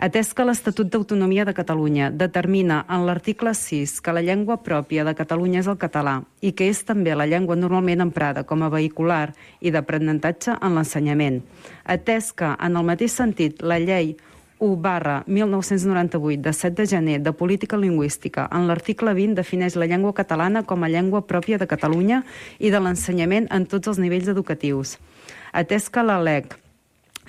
Atès que l'Estatut d'Autonomia de Catalunya determina en l'article 6 que la llengua pròpia de Catalunya és el català i que és també la llengua normalment emprada com a vehicular i d'aprenentatge en l'ensenyament. Atès que, en el mateix sentit, la llei 1/1998 de 7 de gener de política lingüística en l'article 20 defineix la llengua catalana com a llengua pròpia de Catalunya i de l'ensenyament en tots els nivells educatius. Atès que la LEC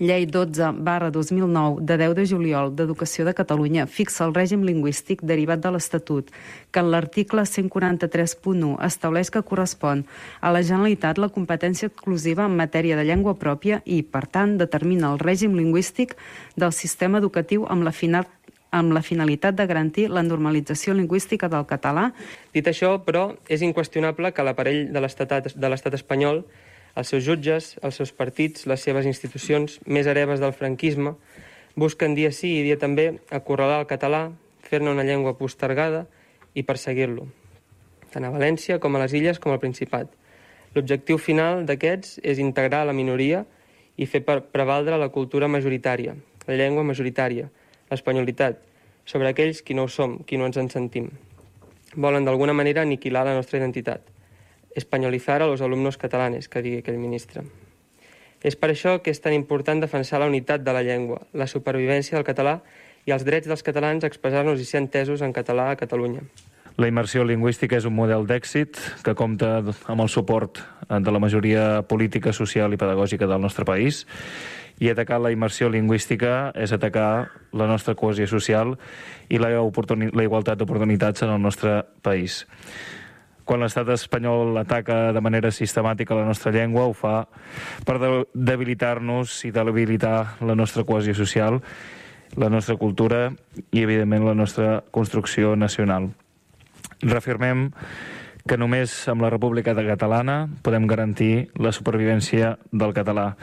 Llei 12/2009 de 10 de juliol d'Educació de Catalunya fixa el règim lingüístic derivat de l'Estatut, que en l'article 143.1 estableix que correspon a la Generalitat la competència exclusiva en matèria de llengua pròpia i, per tant, determina el règim lingüístic del sistema educatiu amb la finalitat de garantir la normalització lingüística del català. Dit això, però, és inqüestionable que l'aparell de l'estat espanyol, els seus jutges, els seus partits, les seves institucions, més hereves del franquisme, busquen dia sí i dia també acorralar el català, fer-ne una llengua postergada i perseguir-lo, tant a València com a les Illes com al Principat. L'objectiu final d'aquests és integrar la minoria i fer prevaldre la cultura majoritària, la llengua majoritària, l'espanyolitat, sobre aquells qui no ho som, qui no ens en sentim. Volen d'alguna manera aniquilar la nostra identitat. Espanyolizar a los alumnos catalanes, que digui aquell ministre. És per això que és tan important defensar la unitat de la llengua, la supervivència del català i els drets dels catalans a expressar-nos i ser entesos en català a Catalunya. La immersió lingüística és un model d'èxit que compta amb el suport de la majoria política, social i pedagògica del nostre país, i atacar la immersió lingüística és atacar la nostra cohesió social i la igualtat d'oportunitats en el nostre país. Quan l'estat espanyol ataca de manera sistemàtica la nostra llengua, ho fa per debilitar-nos i debilitar la nostra cohesió social, la nostra cultura i, evidentment, la nostra construcció nacional. Reafirmem que només amb la República Catalana podem garantir la supervivència del català.